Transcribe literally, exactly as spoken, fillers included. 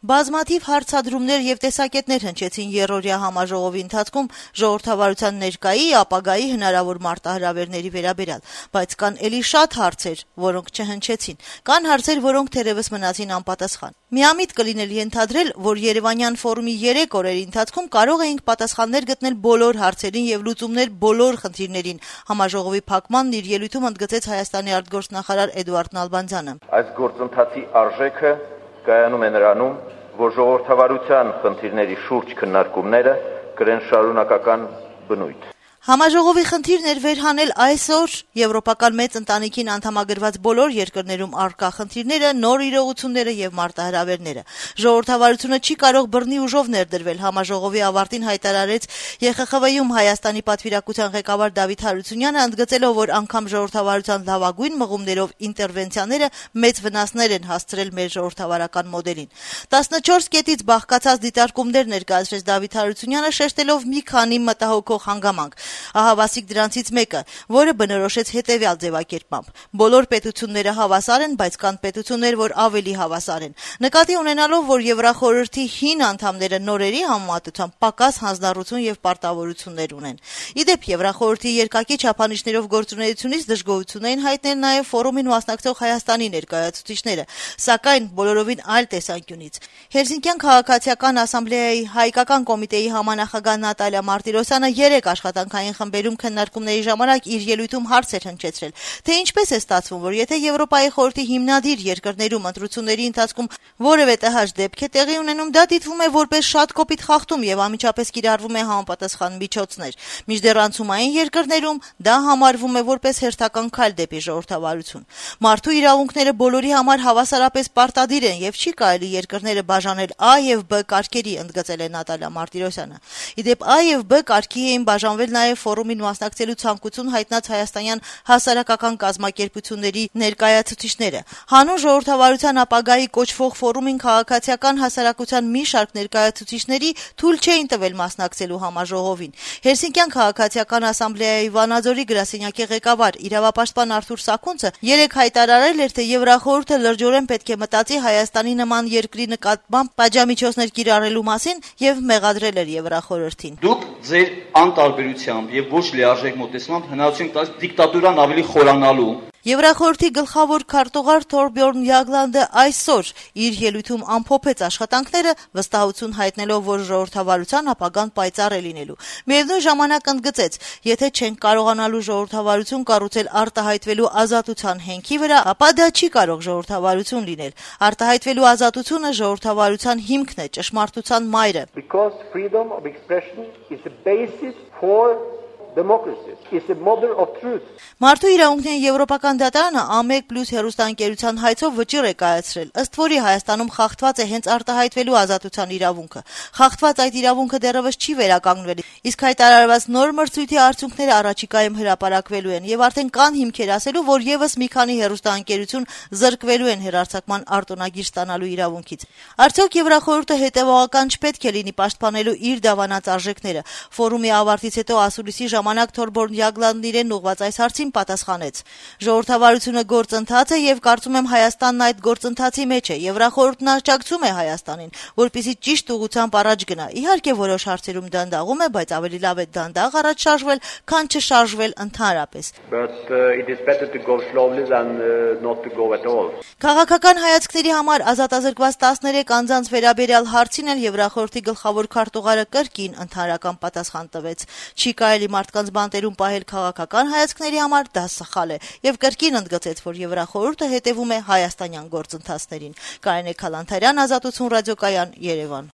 Բազմաթիվ հարցադրումներ եւ տեսակետներ հնչեցին երրորդյա համաժողովի ընթացքում ժողովրդավարության ներկայի, ապագայի հնարավոր մարտահրավերների վերաբերյալ, բայց կան էլի շատ հարցեր, որոնք չհնչեցին, կան հարցեր, որոնք թերեւս մնացին անպատասխան։ Միամիտ կլիներ ենթադրել, որ Երևանյան ֆորումի երեք օրերի ընթացքում կարող էինք պատասխաններ գտնել բոլոր հարցերին եւ լուծումներ բոլոր խնդիրներին, համաժողովի փակմանն իր ելույթում ընդգծեց Հայաստանի արտգործնախարար Էդուարդ Նալբանդյանը։ Այս գործընթացի արժեքը կայանում է նրանում, որ ժողովրդավարության խնդիրների շուրջ քննարկումները կրեն շարունակական բնույթ։ Համաժողովի խնդիրն էր վերհանել այսօր եվրոպական մեծ ընտանիքին անդամագրված բոլոր երկրներում առկա խնդիրները, նոր իրողությունները եւ մարտահրավերները։ Ժողովրդավարությունը չի կարող բռնի ուժով ներդրվել, համաժողովի ավարտին հայտարարեց Է Խ Խ V-ում Հայաստանի պատվիրակության ղեկավար Դավիթ Հարությունյանը, ընդգծելով, որ անգամ ժողովրդավարության լավագույն մղումներով ինտերվենցիաները մեծ վնասներ են հասցրել մեր ժողովրդավարական մոդելին։ տասնչորս կետից բաղկացած դիտարկումներ ներկայացրեց Դավիթ Հարությունյանը, շեշտելով մի քանի մտահոգող հանգամանք։ Ահավասիկ դրանցից մեկը, որը բնորոշեց հետևյալ ձևակերպմամբ. բոլոր պետությունները հավասար են, բայց կան պետություններ, որ ավելի հավասար են։ Նկատի ունենալով, որ Եվրախորհրդի հին անդամները նորերի համեմատությամբ պակաս հանձնառություն եւ պարտավորություններ ունեն։ Իդեպ Եվրախորհրդի երկակի չափանիշներով գործունեությունից դժգոհություն էին հայտնել նաեւ ֆորումին մասնակցող Հայաստանի ներկայացուցիչները, սակայն բոլորովին այլ տեսանկյունից։ Հելսինկյան քաղաքացիական ասամբլեայի հայկական կոմիտեի համանախագահ Նատալիա Մարտիրոսյանը երեք աշխատանքային խմբերում քննարկումների ժամանակ իր ելույթում հարց էր հնչեցրել, թե ինչպես է ստացվում, որ եթե Եվրոպայի խորհրդի հիմնադիր երկրներում ընտրությունների ընթացքում որևէ տհաճ դեպք է տեղի ունենում, դա դիտվում է որպես շատ կոպիտ խախտում եւ անմիջապես կիրառվում է համապատասխան միջոցներ, մինչդեռ անցումային երկրներում դա համարվում է որպես հերթական քայլ դեպի ժողովրդավարություն։ Մարդու իրավունքները բոլորի համար հավասարապես պարտադիր են եւ չի կարելի երկրները բաժանել A եւ B կարգերի, ընդգծել է Նատալիա Մարտիրոսյանը։ Իդեպ A եւ B կարգի էին բաժանվել նաեւ ֆորումին մասնակցելու ցանկություն հայտնած հայաստանյան հասարակական կազմակերպությունների ներկայացուցիչները։ Հանուն ժողովրդավարության ապագայի կոչվող ֆորումին քաղաքացիական հասարակության մի շարք ներկայացուցիչների թույլ չէին տվել մասնակցելու համաժողովին։ Հելսինկյան քաղաքացիական ասամբլեայի Վանաձորի գրասենյակի ղեկավար իրավապաշտպան Արթուր Սաքունցը երեք հայտարարել էր, թե Եվրախորհուրդը լրջորեն պետք է մտածի Հայաստանի նման երկրի նկատմամբ պատժամիջոցներ կիրառելու մասին եւ մեղադրել էր Եվրախորհրդին։ Դուք ձեր անտարբերությամբ եւ ոչ լիարժեք մոտեցմամբ հնարավորություն տալիս դիկտատուրան ավելի խորանալու։ Եվրախորհրդի գլխավոր քարտուղար Թորբյորն Յագլանդը այսօր իր ելույթում ամփոփեց աշխատանքները, վստահություն հայտնելով, որ ժողովրդավարության ապագան պայծառ է լինելու։ Միևնույն ժամանակ ընդգծեց, եթե չենք կարողանալու ժողովրդավարություն կառուցել արտահայտվելու ազատության հենքի վրա, ապա դա չի կարող ժողովրդավարություն լինել։ Արտահայտվելու ազատությունը ժողովրդավարության հիմքն է, ճշմարտության մայրը։ Because freedom of expression is the basis for democracy. It's a model of truth. Մարդու իրավունքների եվրոպական դատարանը A մեկ պլյուս հեռուստաընկերության հայցով վճիռ է կայացրել, ըստ որի Հայաստանում խախտված է հենց արտահայտվելու ազատության իրավունքը։ Խախտված այդ իրավունքը դեռևս չի վերականգնվել, իսկ հայտարարված նոր մրցույթի արդյունքները առաջիկայում հրապարակվելու են եւ արդեն կան հիմքեր ասելու, որ եւս մի քանի հեռուստաընկերություն զրկվելու են հեռարձակման արտոնագիր ստանալու իրավունքից։ Արդյոք Եվրախորհուրդը հետեւողական չպետք է լինի պաշտպանելու իր դավանած արժեքները։ Ֆորումի ավարտից հետո ասուլիսի ժամանակ Թորբյորն Յագլանդն իրեն ուղղված այս հարցին պատասխանեց. Ժողովրդավարությունը գործընթաց է եւ կարծում եմ Հայաստանն այդ գործընթացի մեջ է։ Եվրախորհուրդն աջակցում է Հայաստանին, որպեսզի ճիշտ ուղղությամբ առաջ գնա։ Իհարկե որոշ հարցերում դանդաղում է, բայց ավելի լավ է դանդաղ առաջ շարժվել, քան չշարժվել ընդհանրապես։ But uh, it is better to go slowly than uh, not to go at all. Քաղաքական հայացքների համար ազատազրկված տասներեք անձանց վերաբերյալ հարցին էլ Եվրախորհրդի գլխավոր քարտուղարը կրկին ընդհանրական պատասխան տվեց։ Չի կարելի մարդկանց բանտերում պահել քաղաքական հայացքների համար, դա սխալ է, եւ կրկին ընդգծեց, որ Եվրախորհուրդը հետևում է հայաստանյան գործընթացներին։ Կարինե Քալանթարյան, Ազատություն ռադիոկայան, Երևան։